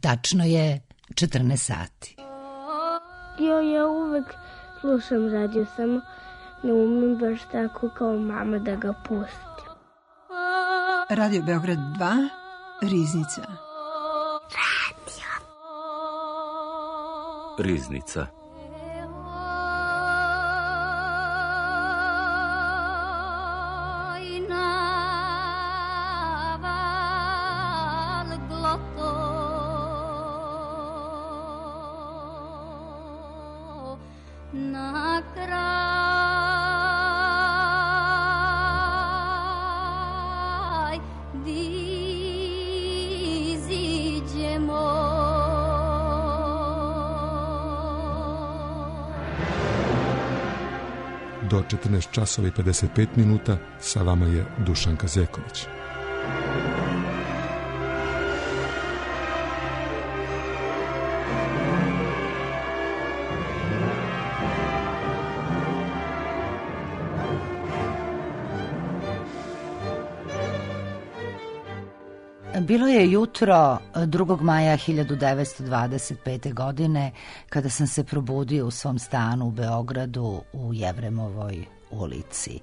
Tačno je 14 sati. Ja uvek slušam radio, samo ne umem baš tako kao mama da ga pustim. Radio Beograd 2, Riznica. Riznica. Do 14 časova i 55 minuta sa vama je Dušan Kazeković. Bilo je jutro 2. maja 1925. godine kada sam se probudio u svom stanu u Beogradu u Jevremovoj ulici.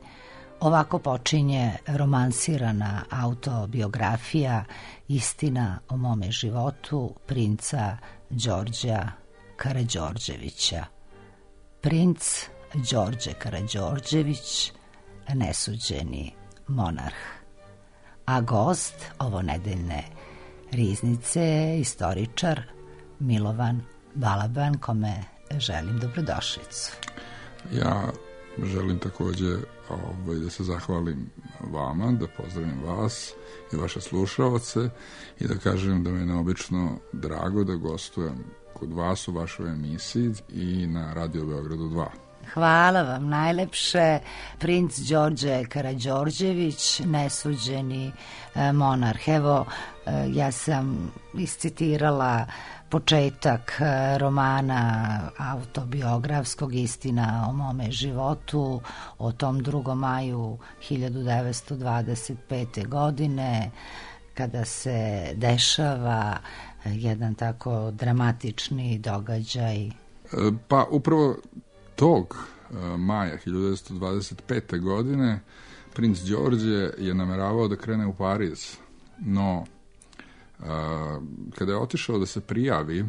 Ovako počinje romansirana autobiografija Istina o mome životu princa Đorđa Karađorđevića. Princ Đorđe Karađorđević, nesuđeni monarh. A gost ovonedeljne Riznice je istoričar Milovan Balaban, kome želim dobrodošlicu. Ja želim takođe da se zahvalim vama, da pozdravim vas i vaše slušaoce i da kažem da mi je neobično drago da gostujem kod vas u vašoj emisiji i na Radio Beogradu 2. Hvala vam najlepše. Princ Đorđe Karađorđević, nesuđeni monarh. Evo, ja sam iscitirala početak romana autobiografskog Istina o mome životu o tom 2. maju 1925. godine, kada se dešava jedan tako dramatični događaj. Pa upravo tog maja 1925. godine princ Đorđe je nameravao da krene u Pariz, no kada je otišao da se prijavi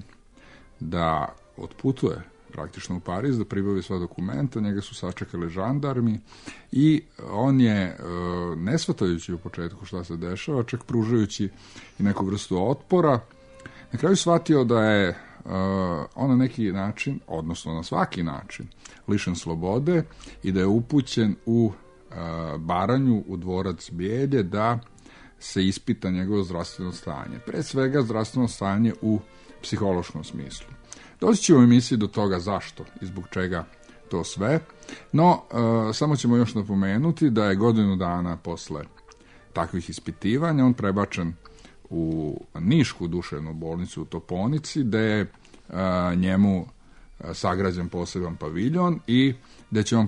da otputuje praktično u Pariz, da pribavi sva dokumenta, njega su sačekali žandarmi i on je, ne shvatajući u početku šta se dešava, čak pružajući i neku vrstu otpora, na kraju shvatio da je on na neki način, odnosno na svaki način, lišen slobode i da je upućen u Baranju, u dvorac Bijelje, da se ispita njegovo zdravstveno stanje. Pre svega zdravstveno stanje u psihološkom smislu. Doći ćemo u emisiji do toga zašto i zbog čega to sve, no samo ćemo još napomenuti da je godinu dana posle takvih ispitivanja on prebačen u Nišku duševnu bolnicu u Toponici, gde je njemu sagrađen poseban paviljon i gde će on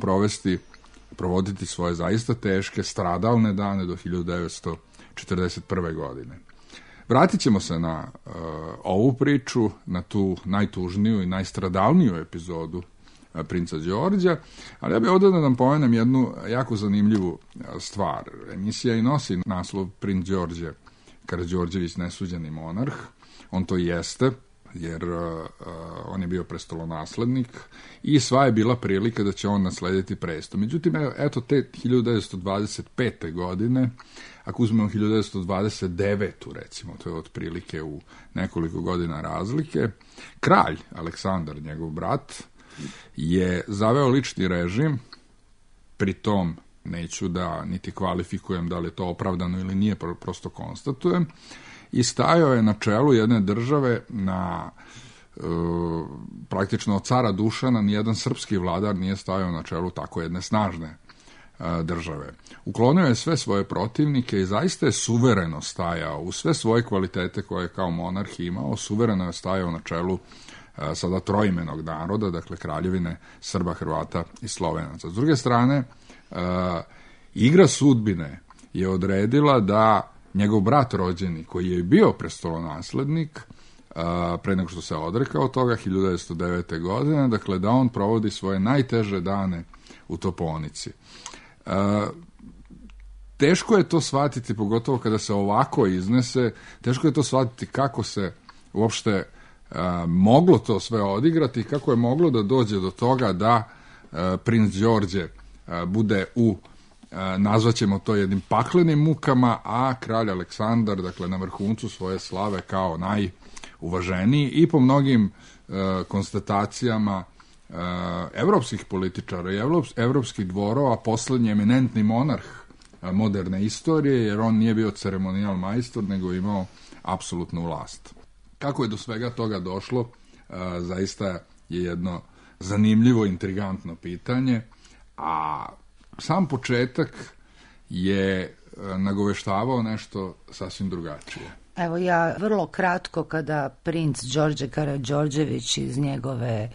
provoditi svoje zaista teške, stradalne dane do 1941. godine. Vratit ćemo se na ovu priču, na tu najtužniju i najstradalniju epizodu princa Đorđa, ali ja bih ovdje da nam pomenem jednu jako zanimljivu stvar. Emisija i nosi naslov Princ Đorđe Karađorđević, nesuđeni monarh. On to jeste, jer on je bio prestolonaslednik i sva je bila prilika da će on naslediti presto. Međutim, eto te 1925. godine, ako uzmemo 1929. recimo, to je otprilike u nekoliko godina razlike, kralj Aleksandar, njegov brat, je zaveo lični režim, pri tom neću da niti kvalifikujem da li je to opravdano ili nije, prosto konstatujem, i stajao je na čelu jedne države na praktično od cara Dušana nijedan srpski vladar nije stajao na čelu tako jedne snažne države. Uklonio je sve svoje protivnike i zaista je suvereno stajao u sve svoje kvalitete koje je kao monarh imao, suvereno je stajao na čelu sada troimenog naroda, dakle kraljevine Srba, Hrvata i Slovenaca. S druge strane, igra sudbine je odredila da njegov brat rođeni, koji je bio prestolonaslednik, pre nego što se odrekao toga, 1909. godine, dakle da on provodi svoje najteže dane u toponici. Teško je to shvatiti, pogotovo kada se ovako iznese, teško je to shvatiti kako se uopšte moglo to sve odigrati, kako je moglo da dođe do toga da princ Đorđe bude nazvaćemo to jednim paklenim mukama, a kralj Aleksandar, dakle, na vrhuncu svoje slave kao najuvaženiji i po mnogim konstatacijama evropskih političara i evropskih dvorova poslednji eminentni monarh moderne istorije, jer on nije bio ceremonijal majstor, nego imao apsolutnu vlast. Kako je do svega toga došlo, zaista je jedno zanimljivo, intrigantno pitanje, a sam početak je nagoveštavao nešto sasvim drugačije. Evo ja vrlo kratko, kada princ Đorđe Karađorđević iz njegove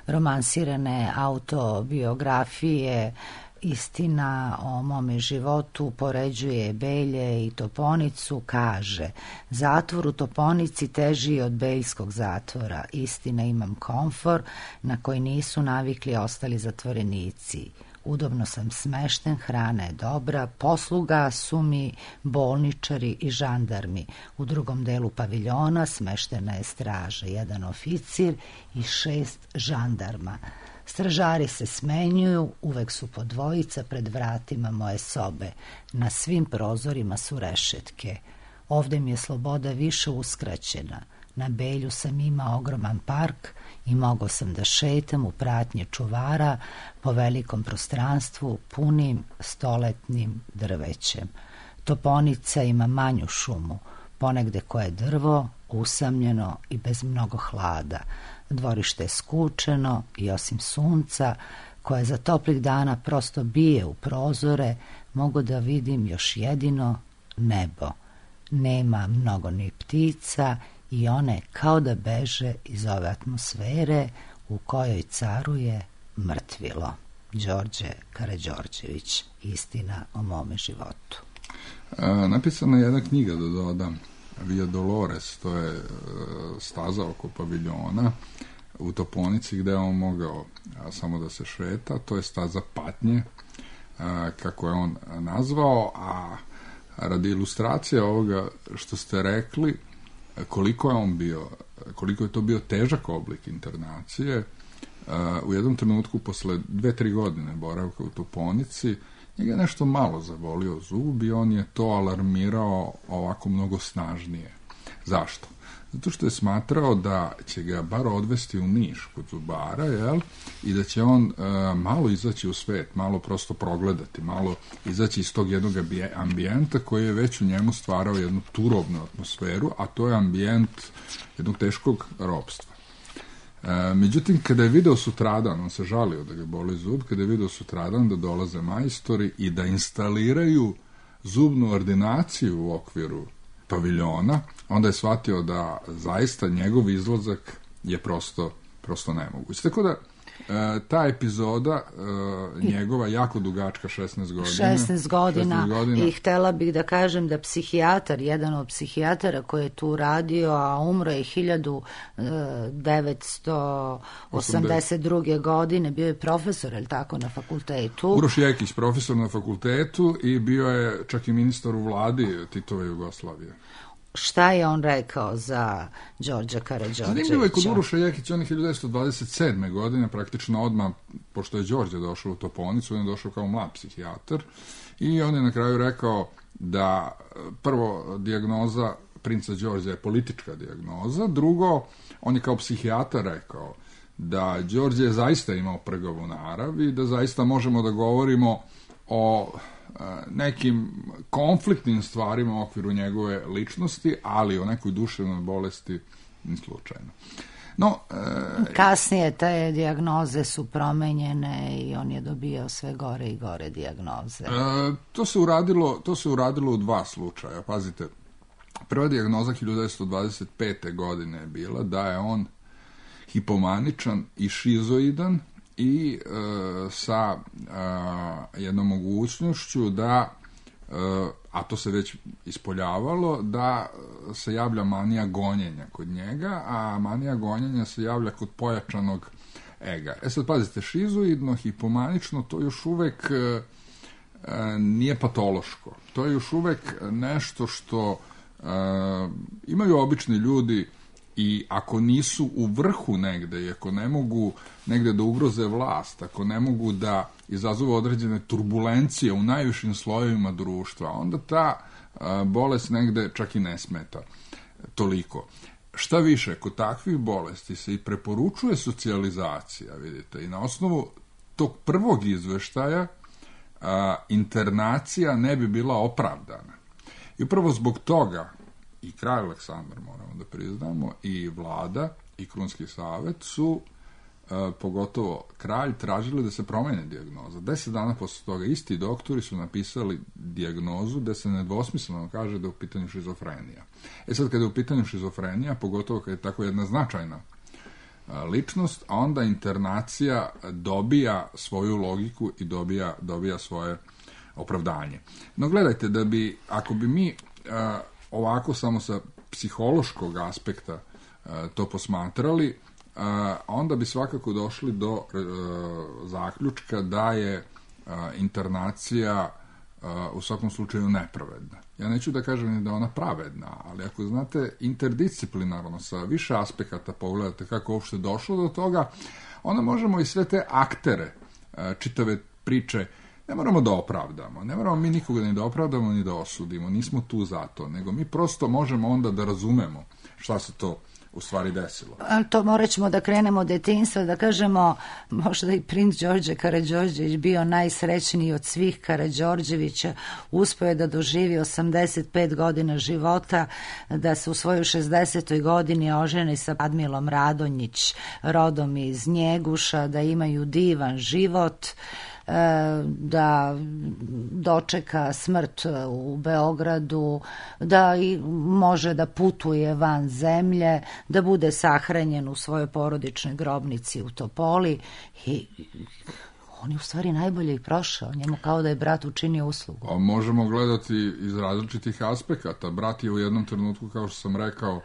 romansirane autobiografije Istina o mome životu poređuje Belje i Toponicu, kaže: zatvor u Toponici teži od beljskog zatvora. Istina, imam komfor na koji nisu navikli ostali zatvorenici. Udobno sam smešten, hrana je dobra, posluga su mi bolničari i žandarmi. U drugom delu paviljona smeštena je straža, 1 oficir i 6 žandarma. Stražari se smenjuju, uvek su po dvojica pred vratima moje sobe. Na svim prozorima su rešetke. Ovde mi je sloboda više uskraćena. Na Belju sam imao ogroman park i mogao sam da šetam u pratnji čuvara po velikom prostranstvu punim stoletnim drvećem. Toponica ima manju šumu, ponegde koje drvo, usamljeno i bez mnogo hlada. Dvorište je skučeno i osim sunca, koje za toplih dana prosto bije u prozore, mogu da vidim još jedino nebo. Nema mnogo ni ptica i one kao da beže iz ove atmosfere u kojoj caruje mrtvilo. Đorđe Karađorđević, Istina o mome životu. Napisana je jedna knjiga, da dodam, Via Dolores, to je staza oko paviljona u Toponici gde je on mogao samo da se šeta, to je staza patnje, kako je on nazvao, a radi ilustracije ovoga što ste rekli, koliko je to bio težak oblik internacije, u jednom trenutku posle 2-3 godine boravka u Toponici, njega je nešto malo zabolio zub i on je to alarmirao ovako mnogo snažnije. Zašto? Zato što je smatrao da će ga bar odvesti u Niš kod zubara, jel? I da će on malo izaći u svet, malo prosto progledati, malo izaći iz tog jednog ambijenta koji je već u njemu stvarao jednu turobnu atmosferu, a to je ambijent jednog teškog ropstva. Međutim, kada je video sutradan, on se žalio da ga boli zub, kada je video sutradan da dolaze majstori i da instaliraju zubnu ordinaciju u okviru paviljona, onda je shvatio da zaista njegov izlazak je prosto nemoguć. Tako da ta epizoda njegova jako dugačka, 16 godina. I htela bih da kažem da psihijatar, jedan od psihijatara koji je tu radio, a umro je 1982. godine, bio je profesor, je li tako, na fakultetu? Uroš Jekić, profesor na fakultetu i bio je čak i ministar u vladi Titove Jugoslavije. Šta je on rekao za Đorđa Karađorđevića? Zanimljivo je kod Uroša Jekića, on je 1927. godine, praktično odmah, pošto je Đorđe došao u Toponicu, on je došao kao mlad psihijatar i on je na kraju rekao da prvo dijagnoza princa Đorđa je politička dijagnoza, drugo, on je kao psihijatar rekao da Đorđe je zaista imao prgavu narav i da zaista možemo da govorimo o nekim konfliktnim stvarima u okviru njegove ličnosti, ali o nekoj duševnoj bolesti ni slučajno. No, kasnije te dijagnoze su promenjene i on je dobio sve gore i gore dijagnoze. To se uradilo u 2 slučaja. Pazite, prva dijagnoza 1925. godine je bila da je on hipomaničan i šizoidan i sa jednom mogućnošću da a to se već ispoljavalo, da se javlja manija gonjenja kod njega, a manija gonjenja se javlja kod pojačanog ega. Sad pazite, šizoidno, hipomanično, to još uvek nije patološko. To je još uvek nešto što imaju obični ljudi i ako nisu u vrhu negde i ako ne mogu negde da ugroze vlast, ako ne mogu da izazovu određene turbulencije u najvišim slojevima društva, onda ta bolest negde čak i ne smeta toliko. Šta više, kod takvih bolesti se i preporučuje socijalizacija, vidite, i na osnovu tog prvog izveštaja internacija ne bi bila opravdana. I upravo zbog toga i kralj Aleksandar, moramo da priznamo, i vlada i Krunski savet su, pogotovo kralj, tražili da se promene dijagnoza. 10 dana posle toga isti doktori su napisali dijagnozu da se nedvosmisleno kaže da je u pitanju šizofrenija. Sad, kada je u pitanju šizofrenija, pogotovo kada je tako jedna značajna ličnost, a onda internacija dobija svoju logiku i dobija svoje opravdanje. No gledajte, da bi, ako bi mi ovako samo sa psihološkog aspekta to posmatrali, onda bi svakako došli do zaključka da je internacija u svakom slučaju nepravedna. Ja neću da kažem ni da je ona pravedna, ali ako znate interdisciplinarno sa više aspekata pogledate kako uopšte došlo do toga, onda možemo i sve te aktere čitave priče ne moramo da opravdamo, ne moramo mi nikoga ni da opravdamo ni da osudimo, nismo tu za to, nego mi prosto možemo onda da razumemo šta se to u stvari desilo. Ali to morat ćemo da krenemo od detinjstva, da kažemo, možda i princ Đorđe Karađorđević bio najsrećniji od svih Karađorđevića, uspeo je da doživi 85 godina života, da se u svojoj 60. godini oženi sa Admilom Radonjić, rodom iz Njeguša, da imaju divan život, da dočeka smrt u Beogradu, da i može da putuje van zemlje, da bude sahranjen u svojoj porodičnoj grobnici u Topoli i on je u stvari najbolje i prošao, njemu kao da je brat učinio uslugu. A možemo gledati iz različitih aspekata. Brat je u jednom trenutku, kao što sam rekao,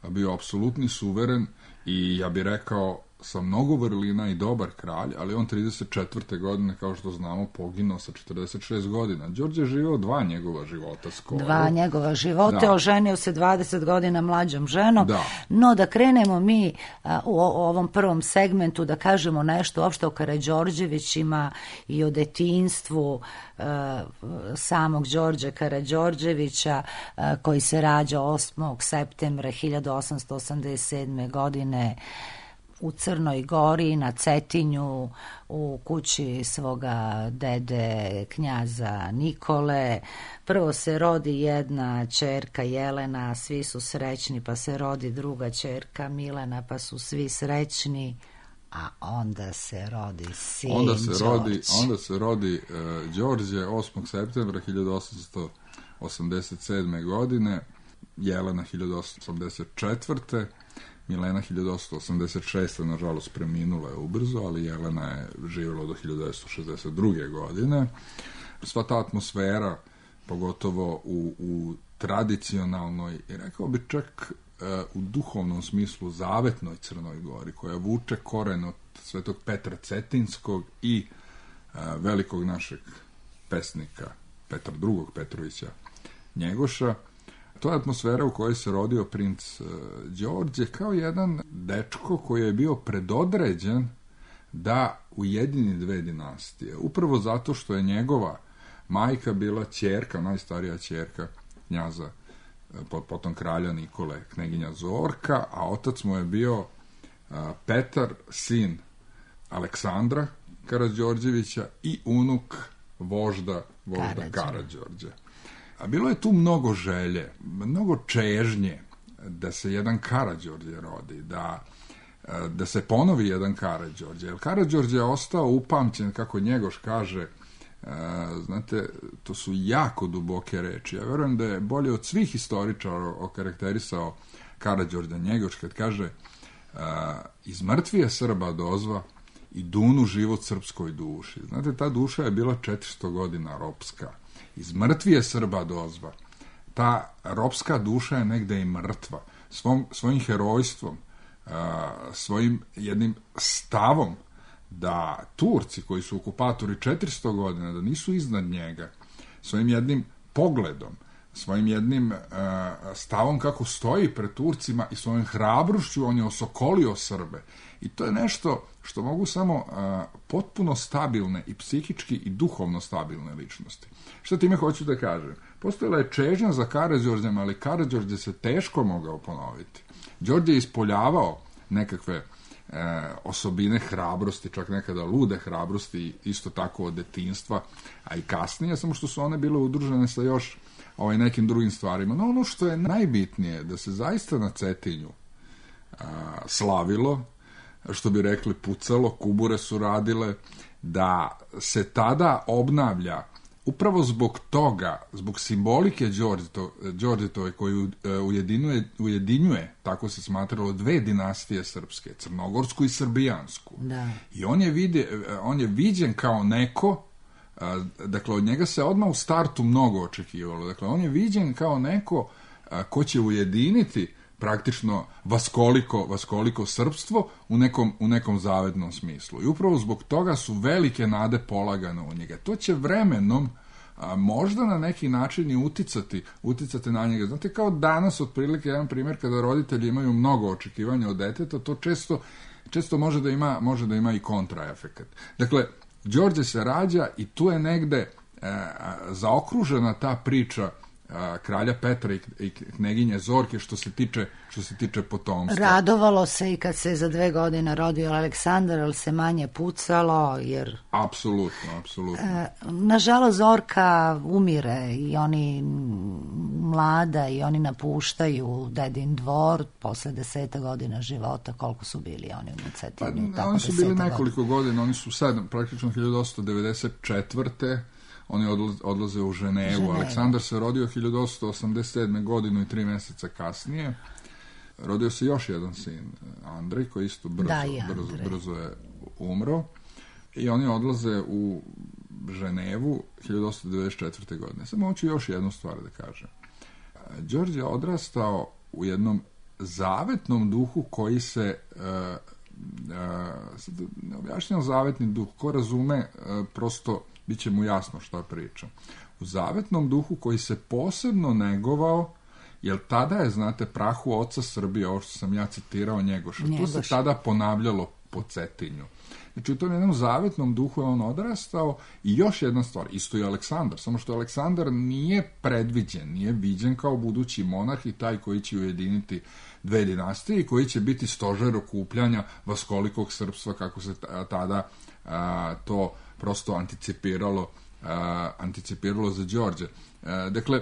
bio apsolutni suveren i ja bih rekao sa mnogo vrlina i dobar kralj, ali on 34. godine, kao što znamo, poginuo sa 46 godina. Đorđe je živeo 2 njegova života skoro. 2 njegova života, da. Oženio se 20 godina mlađom ženom, da. No da krenemo mi u ovom prvom segmentu da kažemo nešto uopšte o Karađorđevićima i o detinjstvu samog Đorđe Karađorđevića, koji se rađa 8. septembra 1887. godine u Crnoj Gori, na Cetinju, u kući svoga dede knjaza Nikole. Prvo se rodi jedna ćerka Jelena, svi su srećni, pa se rodi druga ćerka Milena, pa su svi srećni, a onda se rodi sin Đorđe. Onda se rodi Đorđe 8. septembra 1887. godine, Jelena 1884. Milena 1886. nažalost preminula je ubrzo, ali Jelena je živjela do 1962. godine. Sva ta atmosfera, pogotovo u tradicionalnoj, i rekao bi čak u duhovnom smislu zavetnoj Crnoj Gori, koja vuče koren od Svetog Petra Cetinskog i velikog našeg pesnika Petra II. Petrovića Njegoša. To je atmosfera u kojoj se rodio princ Đorđe kao jedan dečko koji je bio predodređen da ujedini 2 dinastije. Upravo zato što je njegova majka bila ćerka, najstarija ćerka knjaza, potom kralja Nikole, kneginja Zorka, a otac mu je bio Petar, sin Aleksandra Karađorđevića i unuk vožda Karađorđa. A bilo je tu mnogo želje, mnogo čežnje da se jedan Karađorđe rodi, da se ponovi jedan Karađorđe. Jer Karađorđe je ostao upamćen, kako Njegoš kaže, znate, to su jako duboke reči. Ja verujem da je bolje od svih historičara okarakterisao Karađorđa Njegoš kad kaže iz mrtvije Srba dozva i dunu život srpskoj duši. Znate, ta duša je bila 400 godina ropska iz mrtvije Srba dozva. Ta ropska duša je negde i mrtva. Svojim herojstvom, svojim jednim stavom da Turci koji su okupatori 400 godina, da nisu iznad njega, svojim jednim pogledom, svojim jednim stavom kako stoji pred Turcima i svojim hrabrošću on je osokolio Srbe. I to je nešto što mogu samo potpuno stabilne i psihički i duhovno stabilne ličnosti. Što time hoću da kažem? Postojala je čežnja za Karađorđem, ali Karađorđe se teško mogao ponoviti. Đorđe je ispoljavao nekakve osobine hrabrosti, čak nekada lude hrabrosti, isto tako od detinjstva, a i kasnije, samo što su one bile udružene sa još nekim drugim stvarima. No ono što je najbitnije, da se zaista na Cetinju slavilo, što bi rekli pucalo, kubure su radile, da se tada obnavlja upravo zbog toga, zbog simbolike Đorđetove koju ujedinjuje, tako se smatralo, dve dinastije srpske, crnogorsku i srbijansku. Da. I on je viđen kao neko, dakle od njega se odmah u startu mnogo očekivalo, dakle on je viđen kao neko ko će ujediniti praktično vaskoliko srpstvo u nekom zavednom smislu. I upravo zbog toga su velike nade polagane u njega. To će vremenom možda na neki način i uticati na njega. Znate, kao danas, otprilike, jedan primjer, kada roditelji imaju mnogo očekivanja od deteta, to često može da ima i kontraefekat. Dakle, Đorđe se rađa i tu je negde zaokružena ta priča kralja Petra i kneginje Zorke što se tiče potomstva. Radovalo se i kad se za 2 godine rodio Aleksandar, ali se manje pucalo, jer... Apsolutno. Nažalost, Zorka umire i oni mlada i oni napuštaju dedin dvor posle 10 godina života. Koliko su bili oni u Cetinju? Oni su bili nekoliko godina, oni su sad, praktično 1894. Oni odlaze u Ženevu. Aleksandar se rodio 1887. godinu i 3 mjeseca kasnije. Rodio se još jedan sin, Andrej, koji isto brzo je umro. I oni odlaze u Ženevu 1894. godine. Samo hoću još jednu stvar da kažem. Đorđe je odrastao u jednom zavetnom duhu koji se... ne objašnjam zavetni duh. Ko razume, prosto bit će mu jasno šta pričam. U zavetnom duhu koji se posebno negovao, jer tada je, znate, prahu oca Srbije, ovo što sam ja citirao, Njegoša. To se tada ponavljalo po Cetinju. Znači, u tom jednom zavetnom duhu je on odrastao. I još jedna stvar, isto i Aleksandar, samo što Aleksandar nije predviđen, nije viđen kao budući monarh i taj koji će ujediniti dve dinastije i koji će biti stožer okupljanja vaskolikog srpstva, kako se tada to prosto anticipiralo za Đorđe. Dakle,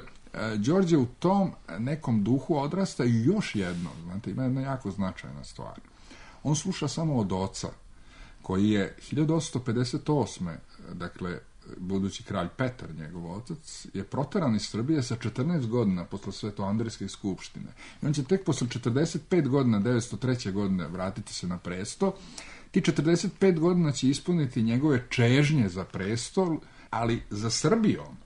Đorđe u tom nekom duhu odrasta i još jedno, znate, ima jedna jako značajna stvar. On sluša samo od oca, koji je 1858. dakle, budući kralj Petar, njegov otac, je proteran iz Srbije sa 14 godina posle Svetoandrijske skupštine. I on će tek posle 45 godina, 903. godine, vratiti se na presto. Ti 45 godina će ispuniti njegove čežnje za prestol, ali za Srbijom,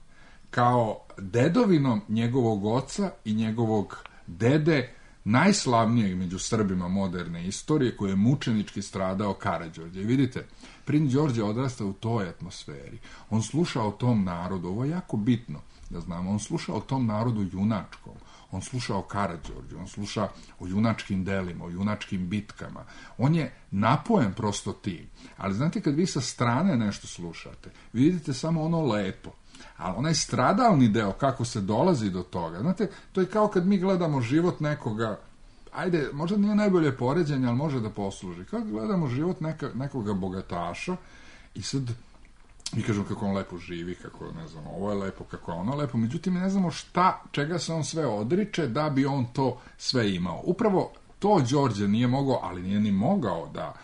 kao dedovinom njegovog oca i njegovog dede, najslavnijeg među Srbima moderne istorije, koji je mučenički stradao, Karađorđe. I vidite, princ Đorđe odrasta u toj atmosferi. On sluša o tom narodu, ovo je jako bitno da znamo, on sluša o tom narodu junačkom, on sluša o Karađorđu, on sluša o junačkim delima, o junačkim bitkama. On je napojen prosto tim. Ali znate, kad vi sa strane nešto slušate, vidite samo ono lepo. Ali onaj stradalni deo, kako se dolazi do toga, znate, to je kao kad mi gledamo život nekoga, ajde, možda nije najbolje poređenje, ali može da posluži. Kao gledamo život nekoga bogataša i sad mi kažemo kako on lepo živi, kako, ne znam, ovo je lepo, kako je ono lepo, međutim ne znamo čega se on sve odriče da bi on to sve imao. Upravo to Đorđe nije mogao, ali nije ni mogao da,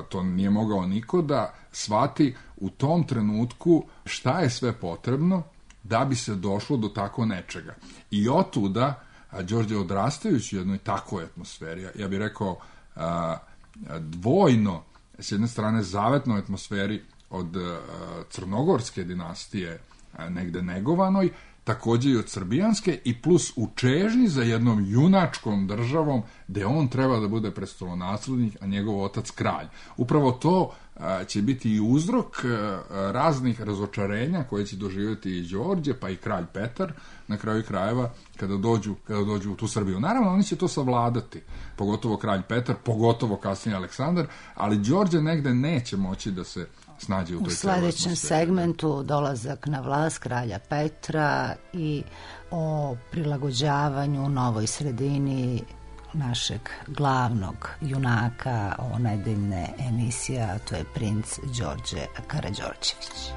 to nije mogao niko da shvati u tom trenutku šta je sve potrebno da bi se došlo do tako nečega. I otuda Đorđe odrastajući u jednoj takvoj atmosferi, ja bih rekao dvojno, s jedne strane zavetnoj atmosferi od crnogorske dinastije negde negovanoj, takođe i od srbijanske, i plus u čežnji za jednom junačkom državom gde on treba da bude prestolonaslednik, a njegov otac kralj. Upravo to će biti i uzrok raznih razočarenja koje će doživjeti i Đorđe, pa i kralj Petar, na kraju krajeva, kada dođu u tu Srbiju. Naravno, oni će to savladati, pogotovo kralj Petar, pogotovo kasnije Aleksandar, ali Đorđe negde neće moći da se snađe u toj sledećem segmentu dolazak na vlast kralja Petra i o prilagođavanju novoj sredini našeg glavnog junaka o nedeljne emisije, a to je princ Đorđe Karađorđević.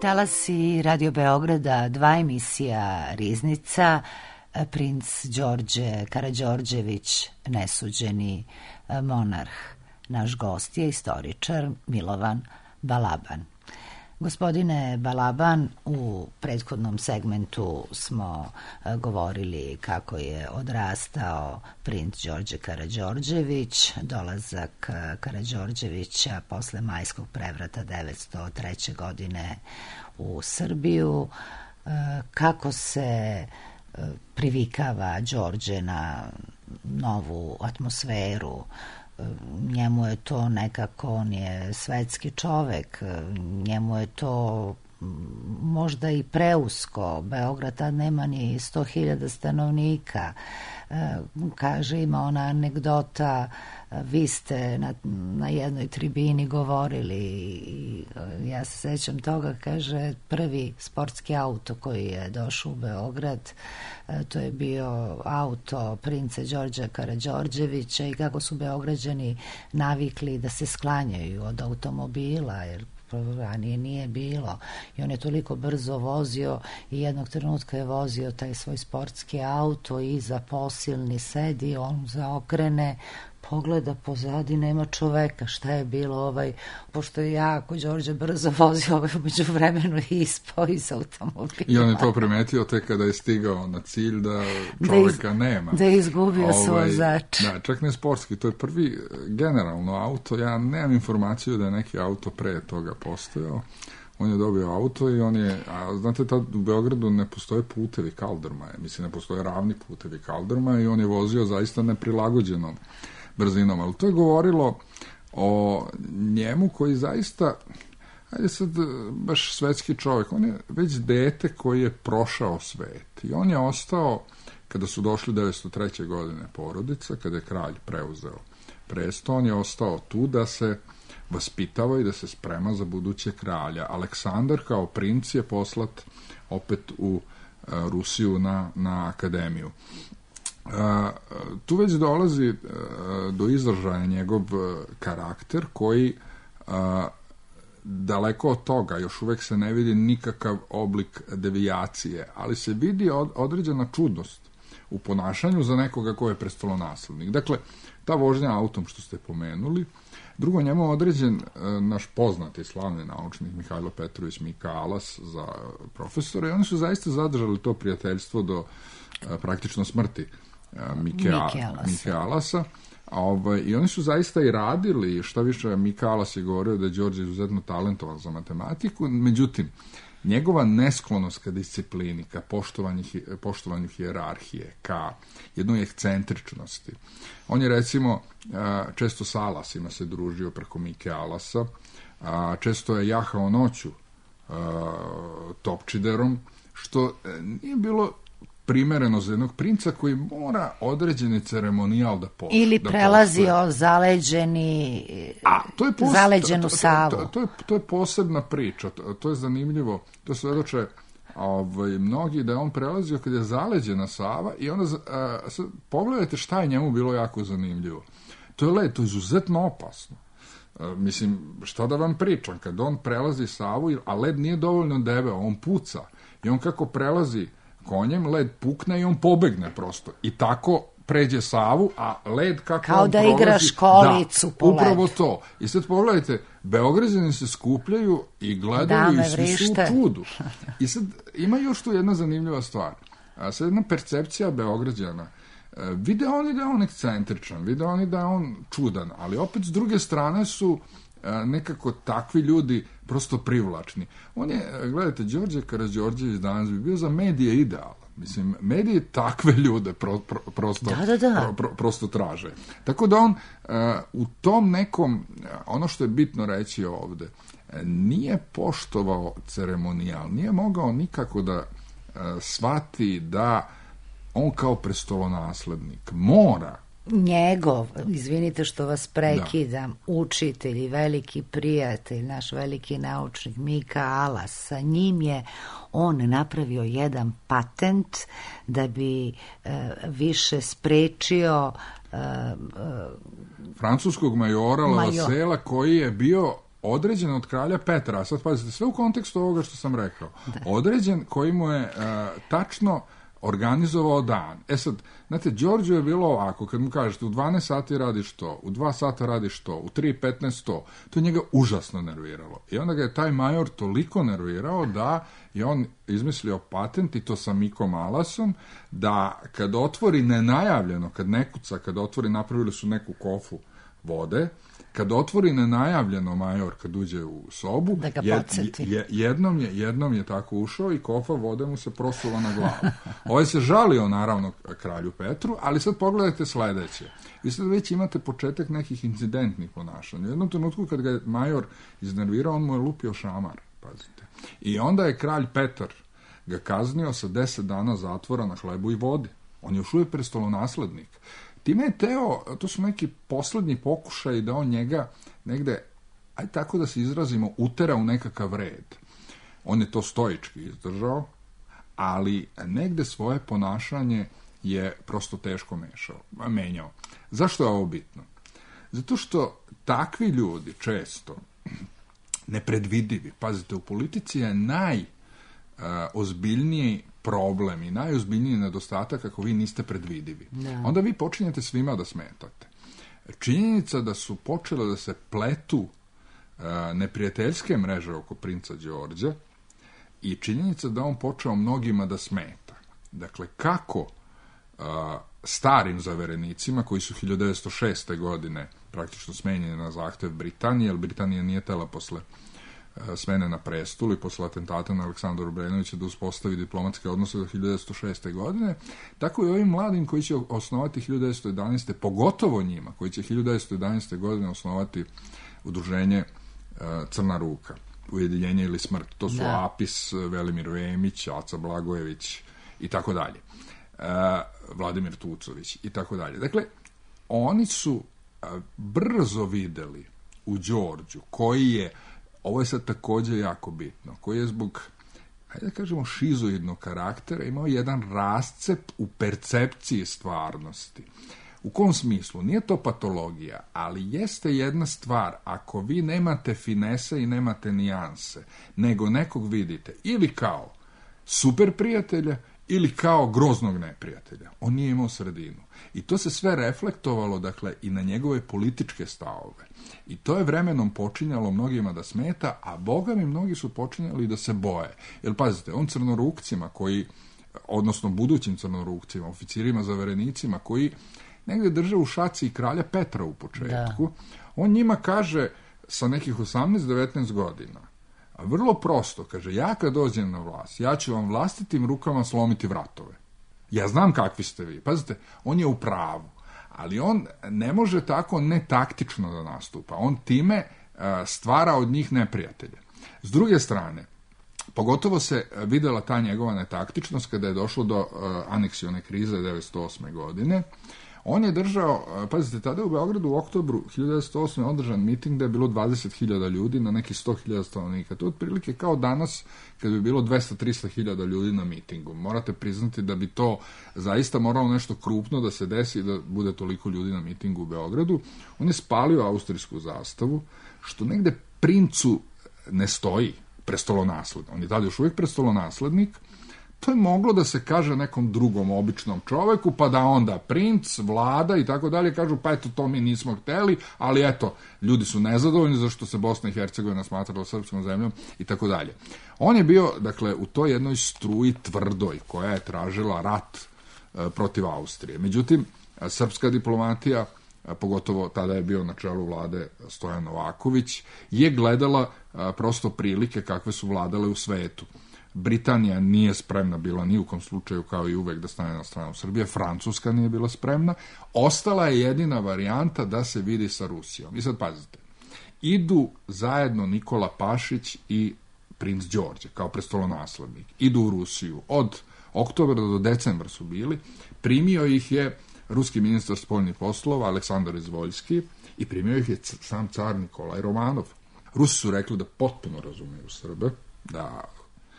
Talasi Radio Beograda, 2 emisija Riznica, princ Đorđe Karađorđević, nesuđeni monarh. Naš gost je istoričar Milovan Balaban. Gospodine Balaban, u prethodnom segmentu smo govorili kako je odrastao princ Đorđe Karađorđević, dolazak Karađorđevića posle majskog prevrata 903. godine u Srbiju, kako se privikava Đorđe na novu atmosferu. Njemu je to nekako, on je svetski čovek, njemu je to možda i preusko. Beograd tad nema ni 100.000 stanovnika. Kaže, ima ona anegdota, vi ste na jednoj tribini govorili i ja se sećam toga, kaže, prvi sportski auto koji je došao u Beograd, to je bio auto princa Đorđa Karađorđevića i kako su Beograđani navikli da se sklanjaju od automobila, jer ranije nije bilo, i on je toliko brzo vozio i jednog trenutka je vozio taj svoj sportski auto i za posilni sedi, on zaokrene, pogleda pozadi, nema čoveka, šta je bilo, pošto je jako Đorđe brzo vozio, među vremenu ispao iz automobila. I on je to primetio tek kada je stigao na cilj da čoveka nema. Da je izgubio svoj vozač. Da, čak ne sportski, to je prvi generalno auto, ja nemam informaciju da je neki auto pre toga postojao. On je dobio auto i on je, a znate, tad u Beogradu ne postoje putevi kaldrmaja, mislim, ne postoje ravni putevi kaldrmaja i on je vozio zaista neprilagođenom brzinom, ali to je govorilo o njemu koji zaista, ajde sad, baš svetski čovjek, on je već dete koji je prošao svet i on je ostao, kada su došli 1903. godine porodica, kada je kralj preuzeo presto, on je ostao tu da se vaspitava i da se sprema za buduće kralja. Aleksandar kao princ je poslat opet u Rusiju na akademiju. Tu već dolazi do izražaja njegov karakter koji daleko od toga, još uvek se ne vidi nikakav oblik devijacije, ali se vidi određena čudnost u ponašanju za nekoga ko je prestolonaslednik. Dakle, ta vožnja autom što ste pomenuli. Drugo, njemu je određen naš poznati slavni naučnik Mihajlo Petrović Mika Alas za profesora i oni su zaista zadržali to prijateljstvo do praktično smrti Mike Alasa. I oni su zaista i radili, šta više, Mika Alas je govorio da je Đorđe izuzetno talentovan za matematiku, međutim, njegova nesklonost ka disciplini, ka poštovanju hijerarhije, ka jednoj ekscentričnosti. On je, recimo, često s Alasima se družio preko Mike Alasa, često je jahao noću Topčiderom, što nije bilo primereno za jednog princa koji mora određeni ceremonijal da poštuje. Ili prelazio zaleđenu Savu. To je posebna priča, to je zanimljivo, to svedoče mnogi da je on prelazio kad je zaleđena Sava i onda pogledajte šta je njemu bilo jako zanimljivo. To je led, to je izuzetno opasno. Mislim, šta da vam pričam, kad on prelazi Savu, a led nije dovoljno debeo, on puca i on kako prelazi konjem, led pukne i on pobegne prosto. I tako pređe Savu, a led kako kao on da prolazi... igra školicu po ledu. Upravo to. I sad pogledajte, Beograđani se skupljaju i gledaju i svi su u čudu. I sad ima još tu jedna zanimljiva stvar. Sad jedna percepcija Beograđana. Vide oni da je on ekscentričan, vide oni da je on čudan, ali opet s druge strane su nekako takvi ljudi prosto privlačni. On je, gledajte, Đorđe Karađorđević danas bi bio za medije idealan. Mislim, medije takve ljude prosto traže. Tako da on u tom nekom, ono što je bitno reći ovde, nije poštovao ceremonijal, nije mogao nikako da shvati da on kao prestolonaslednik mora njegov, izvinite što vas prekidam, učitelj i veliki prijatelj, naš veliki naučnik Mika Alas, sa njim je on napravio jedan patent da bi više sprečio francuskog majora Lavasela koji je bio određen od kralja Petra. A sad pazite, sve u kontekstu ovoga što sam rekao. Određen koji mu je tačno organizovao dan. Sad, znate, Đorđu je bilo ovako, kad mu kažete u 12 sati radiš to, u 2 sata radiš to, u 3:15 to njega užasno nerviralo. I onda ga je taj major toliko nervirao da je on izmislio patent, i to sa Mikom Alasom, da kad otvori nenajavljeno, kad ne kuca, kad otvori, napravili su neku kofu vode, kad otvori nenajavljeno major, kad uđe u sobu, jednom je tako ušao i kofa vode mu se prosula na glavu. Ovaj se žalio, naravno, kralju Petru, ali sad pogledajte sledeće. Vi sad već imate početak nekih incidentnih ponašanja. U jednom trenutku kad ga je major iznervirao, on mu je lupio šamar, pazite. I onda je kralj Petar ga kaznio sa 10 dana zatvora na hlebu i vodi. On je još uvijek prestolonaslednik. Time je Teo, to su neki poslednji pokušaj da on njega negde, ajde tako da se izrazimo, utera u nekakav red. On je to stoički izdržao, ali negde svoje ponašanje je prosto teško menjao. Zašto je ovo bitno? Zato što takvi ljudi često nepredvidivi, pazite, u politici je najozbiljniji problem i najozbiljniji nedostatak ako vi niste predvidivi. Onda vi počinjete svima da smetate. činjenica da su počele da se pletu neprijateljske mreže oko princa Đorđa i činjenica da on počeo mnogima da smeta. Dakle, kako starim zaverenicima, koji su 1906. godine praktično smenjeni na zahtev Britanije, jer Britanija nije tela posle smene na prestolu i posle atentata na Aleksandra Obrenovića da uspostavi diplomatske odnose do 1906. godine, tako i ovim mladim koji će osnovati 1911. pogotovo njima, koji će 1911. godine osnovati udruženje Crna ruka, Ujedinjenje ili smrt. To su Apis, Velimir Vemić, Aca Blagojević i tako dalje. Vladimir Tucović i tako dalje. Dakle, oni su brzo videli u Đorđu, koji je, ovo je sad takođe jako bitno, koji je zbog, hajde da kažemo, šizoidnog karaktera imao jedan rascep u percepciji stvarnosti. U kom smislu? Nije to patologija, ali jeste jedna stvar, ako vi nemate finese i nemate nijanse, nego nekog vidite ili kao super prijatelja ili kao groznog neprijatelja. On nije imao sredinu. I to se sve reflektovalo, dakle, i na njegove političke stavove. I to je vremenom počinjalo mnogima da smeta, a boga mi mnogi su počinjali da se boje. Jer, pazite, on crnorukcima koji, odnosno budućim crnorukcima, oficirima, zaverenicima, koji negde drže u šaci i kralja Petra u početku, on njima kaže sa nekih 18-19 godina, vrlo prosto, kaže, ja kad dođem na vlast, ja ću vam vlastitim rukama slomiti vratove. Ja znam kakvi ste vi. Pazite, on je u pravu, ali on ne može tako netaktično da nastupa. On time stvara od njih neprijatelje. S druge strane, pogotovo se videla ta njegova netaktičnost kada je došlo do aneksione krize 1908. godine. On je držao, pazite, tada je u Beogradu u oktobru 1908. održan miting da je bilo 20.000 ljudi na neki 100.000 stanovnika. To je otprilike kao danas kada bi bilo 200-300.000 ljudi na mitingu. Morate priznati da bi to zaista moralo nešto krupno da se desi da bude toliko ljudi na mitingu u Beogradu. On je spalio austrijsku zastavu, što negde princu ne stoji prestolonaslednik. On je tada još uvijek prestolonaslednik. To je moglo da se kaže nekom drugom običnom čoveku, pa da onda princ, vlada i tako dalje kažu, pa eto, to mi nismo hteli, ali eto, ljudi su nezadovoljni zašto se Bosna i Hercegovina smatrala srpskom zemljom i tako dalje. On je bio, dakle, u toj jednoj struji tvrdoj koja je tražila rat protiv Austrije. Međutim, srpska diplomatija, pogotovo tada je bio na čelu vlade Stojan Novaković, je gledala prosto prilike kakve su vladale u svetu. Britanija nije spremna bila ni u kom slučaju, kao i uvek, da stane na stranu Srbije. Francuska nije bila spremna. Ostala je jedina varijanta da se vidi sa Rusijom. I sad pazite, idu zajedno Nikola Pašić i princ Đorđe kao prestolonaslednik. Idu u Rusiju. Od oktobra do decembra su bili. Primio ih je ruski ministar spoljnih poslova Aleksandar Izvoljski i primio ih je sam car Nikolaj Romanov. Rusi su rekli da potpuno razumeju Srbe, da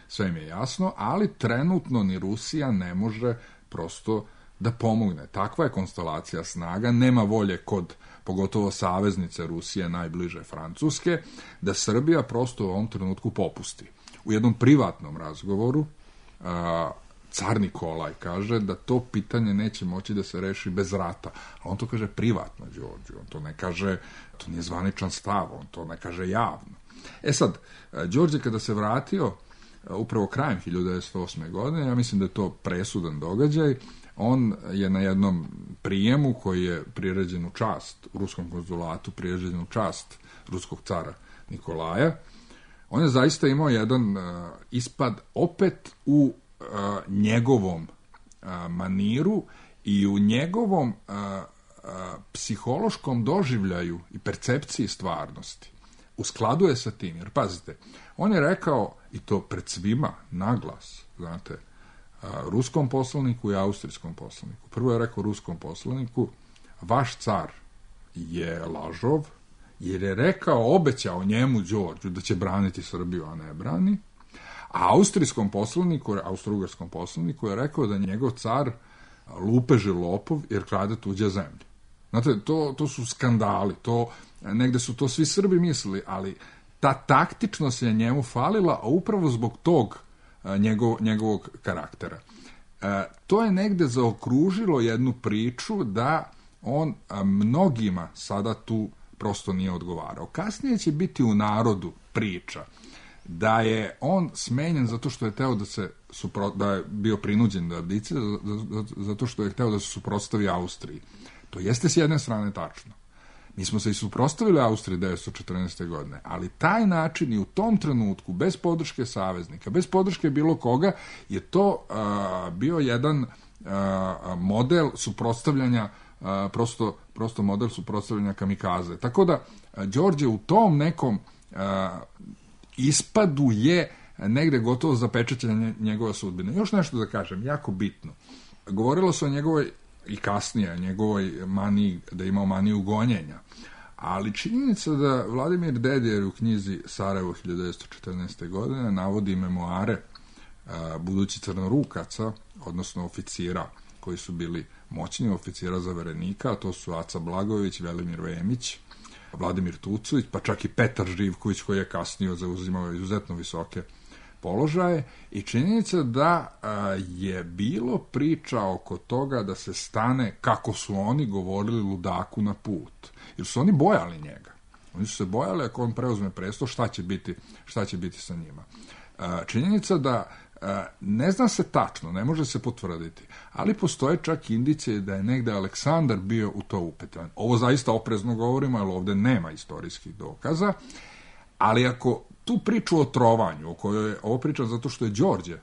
sve im je jasno, ali trenutno ni Rusija ne može prosto da pomogne. Takva je konstelacija snaga, nema volje kod, pogotovo saveznice Rusije, najbliže Francuske, da Srbija prosto u ovom trenutku popusti. U jednom privatnom razgovoru car Nikolaj kaže da to pitanje neće moći da se reši bez rata. A on to kaže privatno Đorđu, on to ne kaže, to nije zvaničan stav, on to ne kaže javno. E sad, Đorđe kada se vratio upravo krajem 1908. godine, ja mislim da je to presudan događaj, on je na jednom prijemu koji je priređen u čast u ruskom konzulatu, priređen u čast ruskog cara Nikolaja, on je zaista imao jedan ispad opet u njegovom maniru i u njegovom psihološkom doživljaju i percepciji stvarnosti. U skladu je sa tim, jer pazite, on je rekao, i to pred svima, naglas, znate, ruskom poslaniku i austrijskom poslaniku. Prvo je rekao ruskom poslaniku, vaš car je lažov, jer je rekao, obećao njemu Đorđu da će braniti Srbiju, a ne brani, a austrijskom poslaniku, austrougarskom poslaniku je rekao da njegov car lupež je lopov jer krade tuđe zemlje. Znate, to su skandali, negde su to svi Srbi mislili, ali ta taktičnost je njemu falila, a upravo zbog tog njegovog karaktera. To je negde zaokružilo jednu priču da on mnogima sada tu prosto nije odgovarao. Kasnije će biti u narodu priča da je on smenjen zato što je teo da je bio prinuđen da abdicira, zato što je hteo da se suprotstavi Austriji. To jeste s jedne strane tačno. Mi smo se i suprotstavili Austriji 1914. godine, ali taj način i u tom trenutku, bez podrške saveznika, bez podrške bilo koga, je to bio jedan model suprotstavljanja, prosto model suprotstavljanja kamikaze. Tako da, Đorđe u tom nekom ispadu je negde gotovo zapečaćenje njegove sudbine. Još nešto da kažem, jako bitno. Govorilo se o njegovoj, i kasnije, njegovoj maniji, da je imao maniju gonjenja. Ali činjenica da Vladimir Dedijer u knjizi Sarajevo 1914. godine navodi memoare budući crnorukaca, odnosno oficira koji su bili moćni oficira zaverenika, a to su Aca Blagojević, Velimir Vemić, Vladimir Tucović, pa čak i Petar Živković koji je kasnije zauzimao izuzetno visoke položaje, i činjenica da je bilo priča oko toga da se stane, kako su oni govorili, ludaku na put. Jer su oni bojali njega. Oni su se bojali ako on preuzme presto, šta će biti sa njima. Činjenica da ne zna se tačno, ne može se potvrditi, ali postoje čak indicije da je negde Aleksandar bio u to upetan. Ovo zaista oprezno govorimo, jer ovde nema istorijskih dokaza, ali ako tu priču o trovanju, o kojoj je ovo priča zato što je Đorđe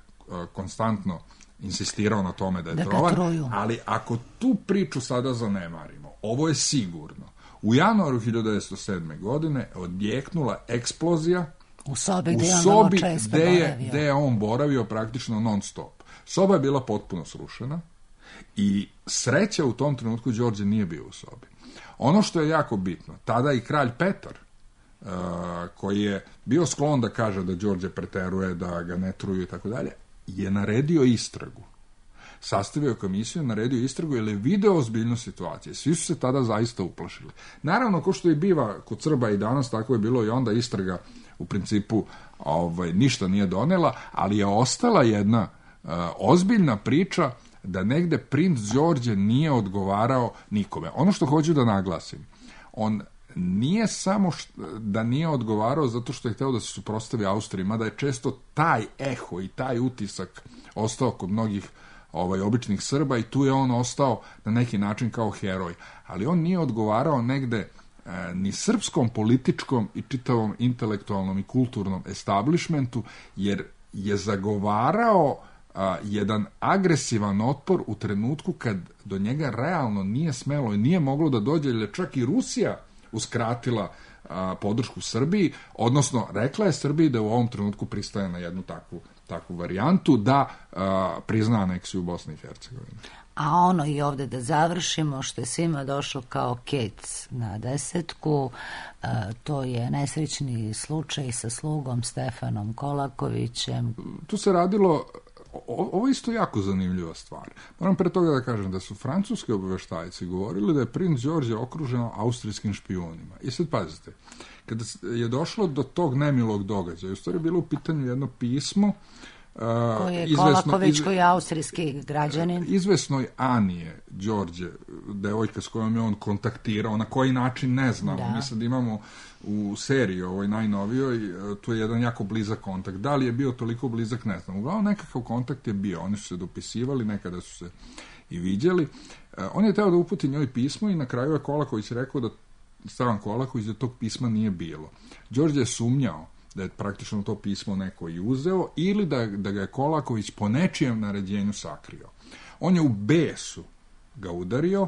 konstantno insistirao na tome da je trovan, ali ako tu priču sada zanemarimo, ovo je sigurno. U januaru 1907. godine odjeknula eksplozija u sobi gde je on boravio praktično non stop. Soba je bila potpuno srušena i sreća u tom trenutku Đorđe nije bio u sobi. Ono što je jako bitno, tada i kralj Petar, koji je bio sklon da kaže da Đorđe preteruje, da ga ne truju i tako dalje, je naredio istragu. Sastavio komisiju, naredio istragu jer je video ozbiljnost situacije. Svi su se tada zaista uplašili. Naravno, ko što i biva kod Srba i danas, tako je bilo i onda, istraga u principu ništa nije donela, ali je ostala jedna ozbiljna priča da negde princ Đorđe nije odgovarao nikome. Ono što hoću da naglasim, on nije samo da nije odgovarao zato što je hteo da se suprotstavi Austriji, mada je često taj eho i taj utisak ostao kod mnogih običnih Srba i tu je on ostao na neki način kao heroj. Ali on nije odgovarao negde ni srpskom političkom i čitavom intelektualnom i kulturnom establishmentu, jer je zagovarao jedan agresivan otpor u trenutku kad do njega realno nije smelo i nije moglo da dođe, jer je čak i Rusija uskratila podršku Srbiji, odnosno rekla je Srbiji da u ovom trenutku pristaje na jednu takvu varijantu da prizna aneksiju Bosne i Hercegovine. A ono i ovde da završimo, što je svima došlo kao kec na desetku, to je nesrećni slučaj sa slugom Stefanom Kolakovićem. Tu se radilo, ovo je isto jako zanimljiva stvar. Moram pre toga da kažem da su francuski obaveštajci govorili da je princ Đorđe okružen austrijskim špijunima. I sad pazite, kada je došlo do tog nemilog događaja, u stvari bilo u pitanju jedno pismo koji je Kolaković, koji je austrijski građanin. Izvesnoj Anije Đorđe, devojka s kojom je on kontaktirao, na koji način ne znamo. Da. Mi sad imamo u seriji ovoj najnovijoj, tu je jedan jako blizak kontakt. Da li je bio toliko blizak, ne znam. Uglavnom nekakav kontakt je bio. Oni su se dopisivali, nekada su se i viđali. On je teo da uputi njoj pismo i na kraju je Kolaković rekao da Stevan Kolaković da tog pisma nije bilo. Đorđe je sumnjao da je praktično to pismo neko i uzeo ili da ga je Kolaković po nečijem naređenju sakrio. On je u besu ga udario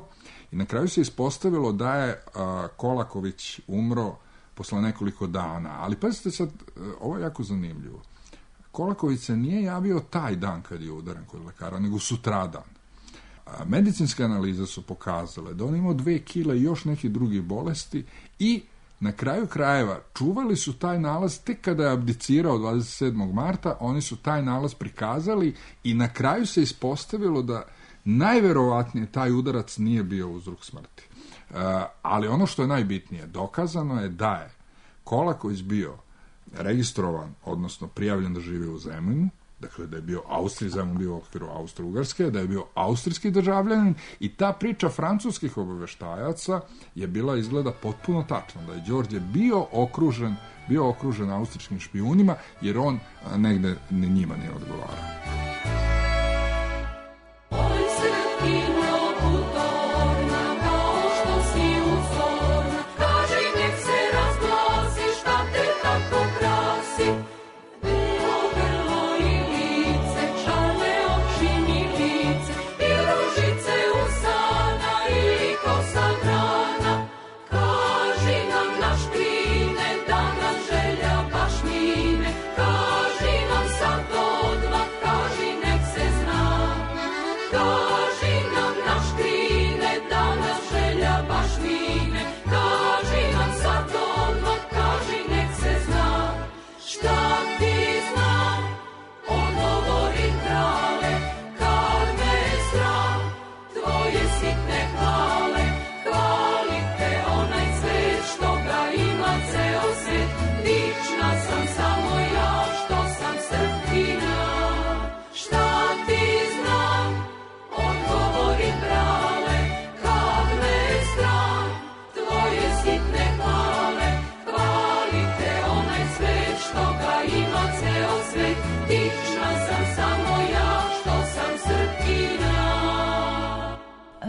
i na kraju se ispostavilo da je Kolaković umro posle nekoliko dana. Ali pazite sad, ovo je jako zanimljivo. Kolaković se nije javio taj dan kad je udaren kod lekara, nego sutradan. Medicinske analize su pokazale da on imao 2 kile i još nekih drugih bolesti i na kraju krajeva čuvali su taj nalaz tek kada je abdicirao 27. marta, oni su taj nalaz prikazali i na kraju se ispostavilo da najverovatnije taj udarac nije bio uzrok smrti. Ali ono što je najbitnije, dokazano je da je Kolaković bio registrovan, odnosno prijavljen da živi u Zemunu, dakle da je bio Austrijzam, bio u okviru Austro-Ugarske, da je bio austrijski državljanin i ta priča francuskih obaveštajaca je bila izgleda potpuno tačna, da je Đorđe bio okružen austrijskim špijunima, jer on negde njima nije odgovarao.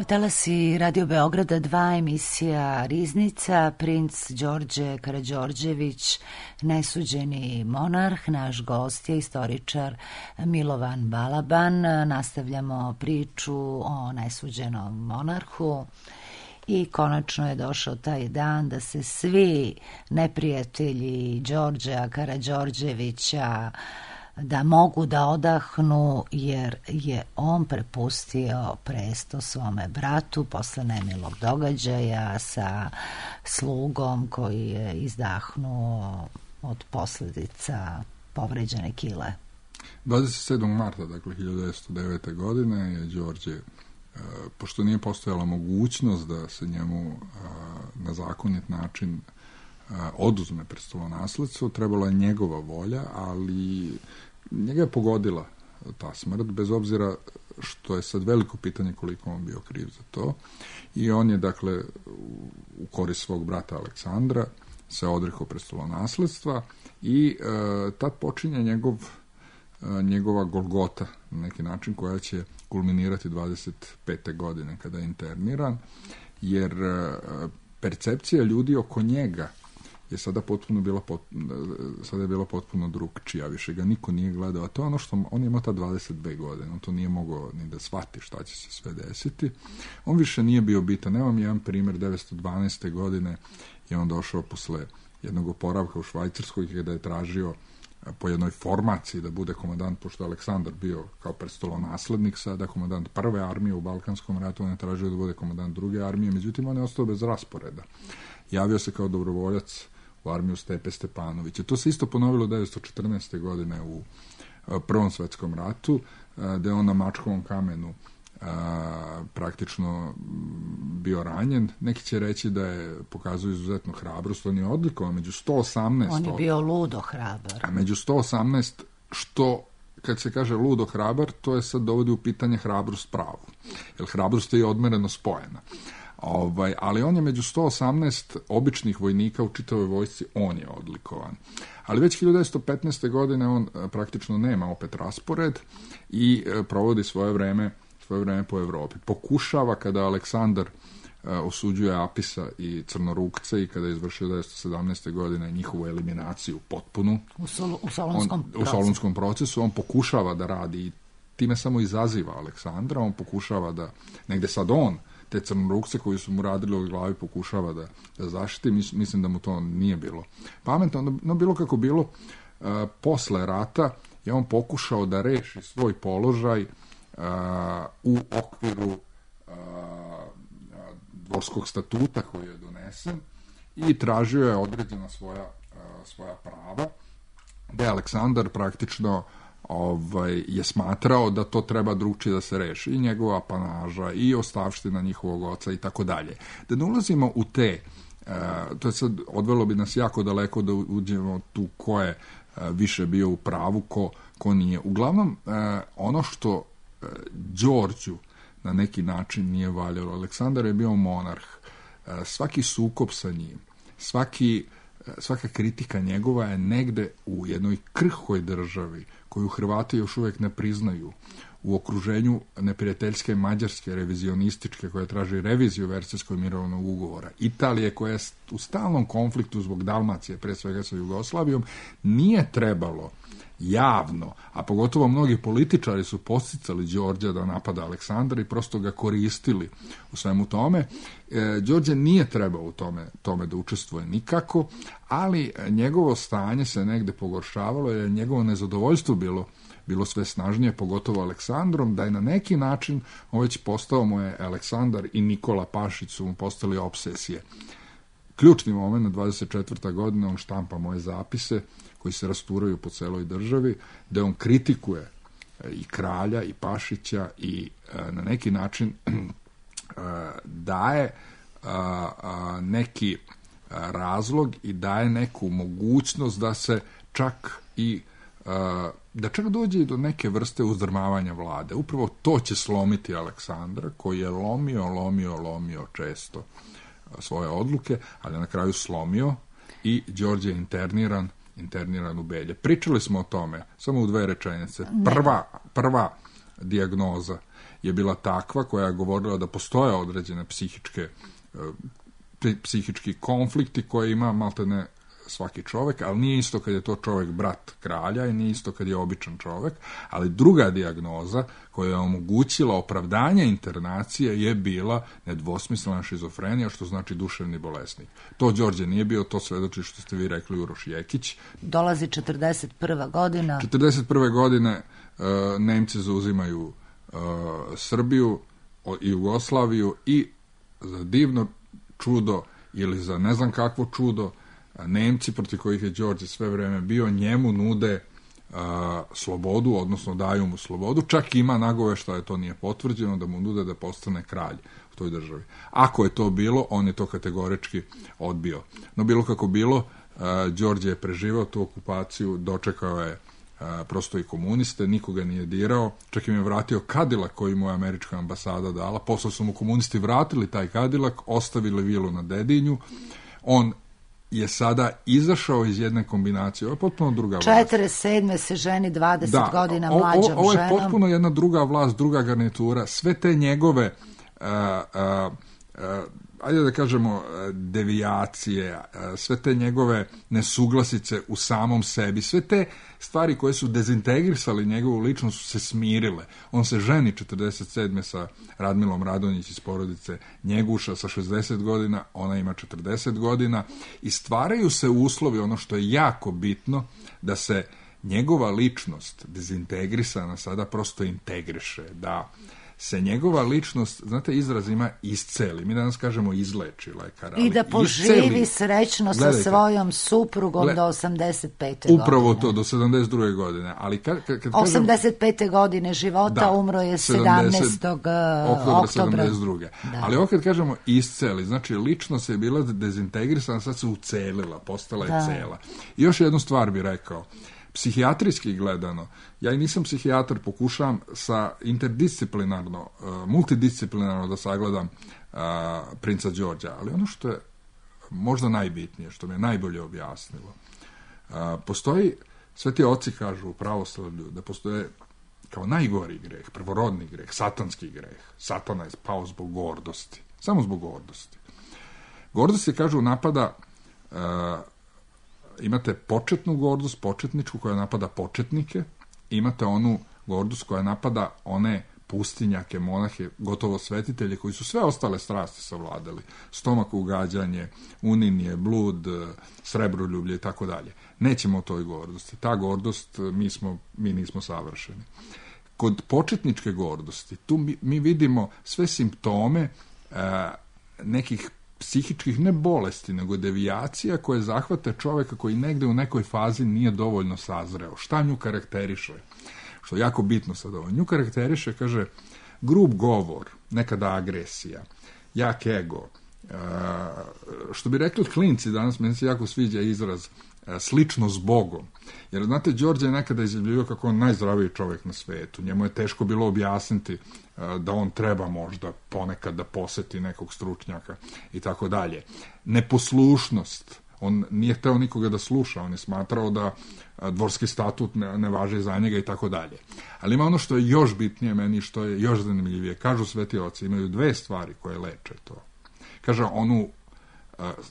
Talasi Radio Beograda 2, emisija Riznica, princ Đorđe Karađorđević, nesuđeni monarh, naš gost je istoričar Milovan Balaban. Nastavljamo priču o nesuđenom monarhu i konačno je došao taj dan da se svi neprijatelji Đorđa Karađorđevića da mogu da odahnu, jer je on prepustio presto svome bratu posle nemilog događaja sa slugom koji je izdahnuo od posljedica povređene kile. 27. marta, dakle 1909. godine je Đorđe, pošto nije postojala mogućnost da se njemu na zakonit način oduzme prestolonasledstvo, trebala je njegova volja, ali njega je pogodila ta smrt, bez obzira što je sad veliko pitanje koliko on bio kriv za to. I on je, dakle, u korist svog brata Aleksandra se odrekao prestolonasledstva i tad počinje njegova golgota, na neki način, koja će kulminirati 25. godine kada je interniran, jer percepcija ljudi oko njega je sada bila potpuno drugčija, više ga niko nije gledao, a to je ono što on je imao ta 22 godine, on to nije mogao ni da shvati šta će se sve desiti. On više nije bio bitan. Evo mi jedan primjer, 1912. godine je on došao posle jednog oporavka u Švajcarskoj kada je tražio po jednoj formaciji da bude komandant, pošto je Aleksandar bio kao prestolonaslednik, sada komandant prve armije u Balkanskom ratu, on je tražio da bude komandant druge armije, međutim on je ostao bez rasporeda. Javio se kao dobrovoljac u armiju Stepe Stepanovića. To se isto ponovilo 1914. godine u Prvom svetskom ratu, gde je on na Mačkovom kamenu praktično bio ranjen. Neki će reći da je pokazao izuzetnu hrabrost, on je odlikovan među 118. On je bio ludo hrabar. A među 118, što kad se kaže ludo hrabar, to je sad dovodi u pitanje hrabrost pravu. Jer hrabrost je odmereno spojena. Ali on je među 118 običnih vojnika u čitavoj vojsci, on je odlikovan. Ali već 1915. godine on praktično nema opet raspored i provodi svoje vreme po Evropi. Pokušava, kada Aleksandar osuđuje Apisa i Crnorukce i kada je izvršio 1917. godine njihovu eliminaciju potpunu u Solunskom procesu, on pokušava da radi i time samo izaziva Aleksandra, on pokušava da negde sad on te Crnorukce koji su mu radili od glavi pokušava da zaštiti. Mislim da mu to nije bilo pametno. No bilo kako bilo, posle rata je on pokušao da reši svoj položaj u okviru dvorskog statuta koji je donesen i tražio je određena svoja prava, gde Aleksandar praktično je smatrao da to treba drugčije da se reši, i njegova apanaža i ostavština njihovog oca i tako dalje. Da ne ulazimo u te, to je sad, odvelo bi nas jako daleko da uđemo tu ko je više bio u pravu, ko ko nije. Uglavnom, ono što Đorđu na neki način nije valjalo. Aleksandar je bio monarh. Svaki sukob sa njim, svaka kritika njegova je negde u jednoj krhkoj državi koju Hrvati još uvijek ne priznaju, u okruženju neprijateljske Mađarske, revizionističke, koja traži reviziju Versajskog mirovnog ugovora, Italije koja je u stalnom konfliktu zbog Dalmacije, pre svega sa Jugoslavijom, nije trebalo javno, a pogotovo mnogi političari su podsticali Đorđa da napada Aleksandra i prosto ga koristili u svemu tome. Đorđe nije trebao u tome da učestvuje nikako, ali njegovo stanje se negde pogoršavalo jer je njegovo nezadovoljstvo bilo sve snažnije, pogotovo Aleksandrom, da je na neki način on već postao mu je Aleksandar i Nikola Pašić su mu postali obsesije. Ključni moment, na 24. godina, on štampa moje zapise koji se rasturaju po celoj državi, da on kritikuje i kralja i Pašića i na neki način daje neki razlog i daje neku mogućnost da se čak dođe i do neke vrste uzdrmavanja vlade. Upravo to će slomiti Aleksandra, koji je lomio često svoje odluke, ali na kraju slomio i Đorđe je interniran u Belje. Pričali smo o tome, samo u 2 rečenice. Prva dijagnoza je bila takva koja je govorila da postoje određene psihički konflikti koje ima maltene svaki čovek, ali nije isto kad je to čovek brat kralja i nije isto kad je običan čovek, ali druga dijagnoza koja je omogućila opravdanje internacije je bila nedvosmislena šizofrenija, što znači duševni bolesnik. To Đorđe nije bio, to svedoči što ste vi rekli Uroš Jekić. Dolazi 41. godina. 41. godine Nemci zauzimaju Srbiju i Jugoslaviju i za divno čudo ili za ne znam kakvo čudo Nemci, protiv kojih je Đorđe sve vreme bio, njemu nude slobodu, odnosno daju mu slobodu, čak ima nagoveštaje, to nije potvrđeno, da mu nude da postane kralj u toj državi. Ako je to bilo, on je to kategorički odbio. No bilo kako bilo, Đorđe je preživao tu okupaciju, dočekao je prosto i komuniste, nikoga nije dirao, čak im je vratio Kadilak koji mu je američka ambasada dala, posle su mu komunisti vratili taj Kadilak, ostavili vilu na Dedinju, on je sada izašao iz jedne kombinacije. Ovo je potpuno druga vlast. 47. se ženi 20 godina mlađom ženom. Ovo je potpuno jedna druga vlast, druga garnitura. Sve te njegove ajde da kažemo devijacije, sve te njegove nesuglasice u samom sebi, sve te stvari koje su dezintegrisali njegovu ličnost su se smirile. On se ženi 47. sa Radmilom Radonjić iz porodice Njeguša sa 60 godina, ona ima 40 godina i stvaraju se uslovi, ono što je jako bitno, da se njegova ličnost dezintegrisana sada prosto integriše, da se njegova ličnost, znate, izraz ima isceli. Mi danas kažemo izleči lekar. I da poživi srećno sa svojom suprugom do 85. godine. Upravo to, do 72. godine. Ali kad 85. godine života umro je 17. oktobra 72. Ali ovo kad kažemo isceli, znači ličnost je bila dezintegrisana, sad se ucelila, postala je cela. I još jednu stvar bih rekao. Psihijatrijski gledano, ja i nisam psihijatar, pokušavam sa interdisciplinarno, multidisciplinarno da sagledam princa Đorđa, ali ono što je možda najbitnije, što mi je najbolje objasnilo, postoji, sveti oci kažu u pravoslavlju da postoje kao najgori greh, prvorodni greh, satanski greh. Satana je pao zbog gordosti, samo zbog gordosti. Gordost se, kažu, napada imate početnu gordost, početničku koja napada početnike, imate onu gordost koja napada one pustinjake, monahe, gotovo svetitelje koji su sve ostale strasti savladali. Stomak ugađanje, uninije, blud, srebroljublje i tako dalje. Nećemo o toj gordosti. Ta gordost, mi nismo savršeni. Kod početničke gordosti, tu mi vidimo sve simptome nekih psihičkih, ne bolesti, nego devijacija koje zahvate čoveka koji negde u nekoj fazi nije dovoljno sazreo. Šta nju karakteriše? Što je jako bitno sad ovo. Nju karakteriše, kaže, grub govor, nekada agresija, jak ego. Što bi rekli klinci danas, meni se jako sviđa izraz slično s Bogom. Jer, znate, Đorđe je nekada izjavljivao kako on najzdraviji čovjek na svetu. Njemu je teško bilo objasniti da on treba možda ponekad da poseti nekog stručnjaka i tako dalje. Neposlušnost. On nije hteo nikoga da sluša, on je smatrao da dvorski statut ne važi za njega i tako dalje. Ali ima ono što je još bitnije meni, što je još zanimljivije. Kažu sveti oci, imaju dve stvari koje leče to. Kaže, onu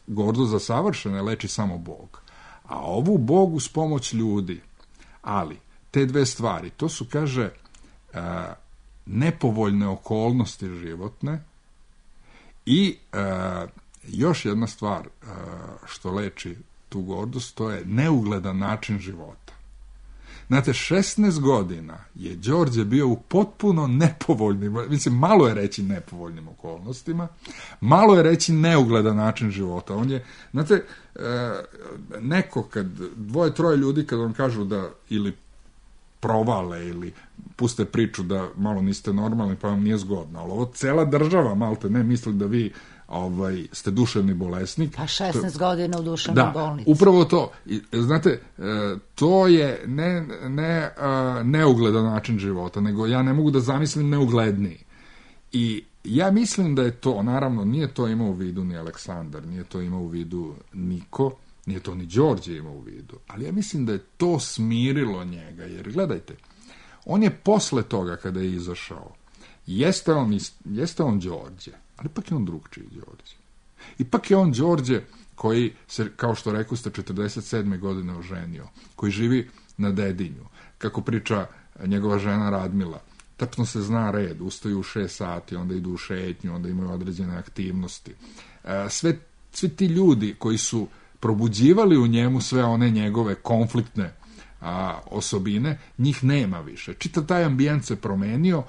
gordost za savršene leči samo Bog. A ovu Bog uz pomoć ljudi. Ali, te dve stvari, to su, kaže, nepovoljne okolnosti životne i još jedna stvar što leči tu gordost, to je neugledan način života. Znate, 16 godina je Đorđe bio u potpuno nepovoljnim, mislim, malo je reći nepovoljnim okolnostima, malo je reći neugledan način života. On je, znate, neko kad, 2-3 ljudi kad vam kažu da ili provale ili puste priču da malo niste normalni pa vam nije zgodno, ali ovo cela država malte ne misli da vi ste duševni bolesnik. A 16 godina u duševnoj bolnici. Da, upravo to. Znate, to je neugledan način života, nego ja ne mogu da zamislim neugledniji. I ja mislim da je to, naravno, nije to imao u vidu ni Aleksandar, nije to imao u vidu niko, nije to ni Đorđe imao u vidu, ali ja mislim da je to smirilo njega, jer gledajte, on je posle toga kada je izašao, jeste on Đorđe, ali ipak je on drugčiji Đorđe. Ipak je on Đorđe koji se, kao što rekao ste, 47. godine oženio, koji živi na Dedinju. Kako priča njegova žena Radmila, tačno se zna red, ustaju u 6 sati, onda idu u šetnju, onda imaju određene aktivnosti. Svi ti ljudi koji su probuđivali u njemu sve one njegove konfliktne osobine, njih nema više. Čitav taj ambijent se promenio,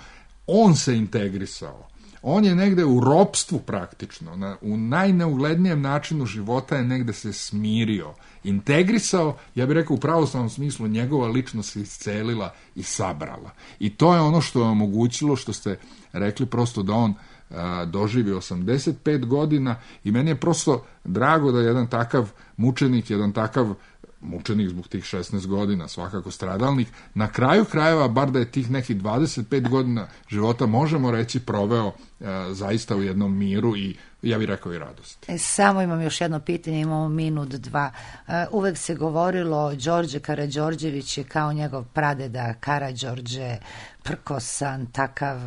on se integrisao. On je negde u ropstvu praktično, u najneuglednijem načinu života je negde se smirio, integrisao, ja bih rekao u pravoslavnom smislu, njegova ličnost se iscelila i sabrala. I to je ono što je omogućilo, što ste rekli, prosto da on doživi 85 godina i meni je prosto drago da jedan takav mučenik, mučenik zbog tih 16 godina, svakako stradalnik, na kraju krajeva, bar da je tih nekih 25 godina života, možemo reći, proveo zaista u jednom miru i, ja bih rekao, i radosti. Samo imam još jedno pitanje, imamo minut, 2. Uvek se govorilo Đorđe Karađorđević je kao njegov pradeda Karađorđe, prkosan, takav,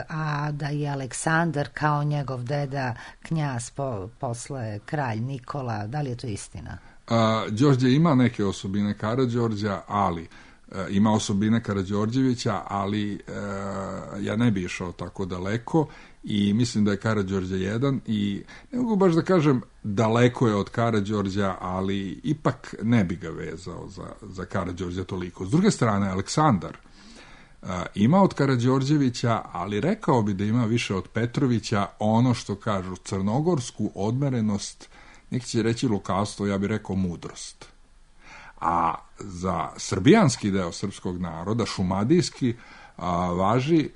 a da je Aleksandar kao njegov deda, knjaz, posle kralj Nikola. Da li je to istina? Đorđe ima neke osobine Karađorđa, ali ima osobine Karađorđevića, ali ja ne bi išao tako daleko i mislim da je Karađorđe jedan i ne mogu baš da kažem daleko je od Karađorđa, ali ipak ne bi ga vezao za Karađorđa toliko. S druge strane, Aleksandar ima od Karađorđevića, ali rekao bi da ima više od Petrovića, ono što kažu crnogorsku odmerenost, neki će reći lukavstvo, ja bih rekao mudrost. A za srbijanski deo srpskog naroda, šumadijski, važi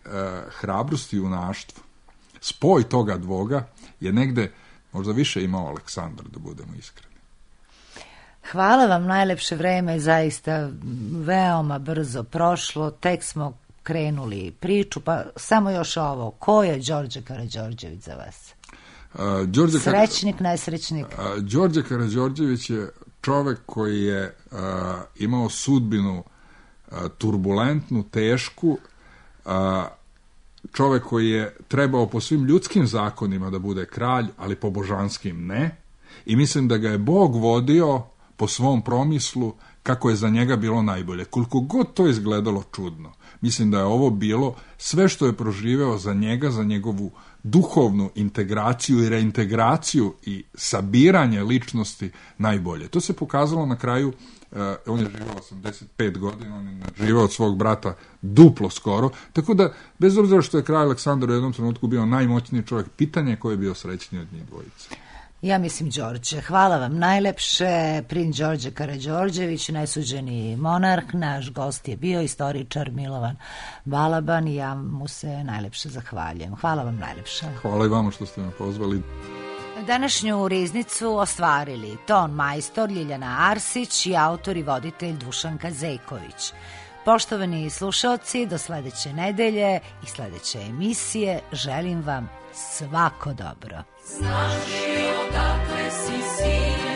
hrabrost i junaštvo. Spoj toga dvoga je negde možda više imao Aleksandar, da budemo iskreni. Hvala vam, najlepše vreme je zaista veoma brzo prošlo, tek smo krenuli priču, pa samo još ovo, ko je Đorđe Karađorđević za vas? Srećnik, nesrećnik? Đorđe Karađorđević je čovek koji je imao sudbinu turbulentnu, tešku, čovek koji je trebao po svim ljudskim zakonima da bude kralj, ali po božanskim ne. I mislim da ga je Bog vodio po svom promislu kako je za njega bilo najbolje. Koliko god to izgledalo čudno, mislim da je ovo bilo sve što je proživeo za njega, za njegovu duhovnu integraciju i reintegraciju i sabiranje ličnosti najbolje. To se pokazalo na kraju, on je živao 85 godina, on je živao od svog brata duplo skoro, tako da, bez obzira što je kralj Aleksandar u jednom trenutku bio najmoćniji čovjek, pitanje je ko je bio srećniji od njih dvojice. Ja mislim Đorđe. Hvala vam najlepše. Princ Đorđe Karađorđević, nesuđeni monarh, naš gost je bio istoričar Milovan Balaban i ja mu se najlepše zahvaljujem. Hvala vam najlepše. Hvala i vama što ste me pozvali. Današnju riznicu ostvarili ton majstor Ljiljana Arsić i autor i voditelj Dušanka Zejković. Poštovani slušaoci, do sledeće nedelje i sledeće emisije želim vam svako dobro. Znaš li odakle si sin?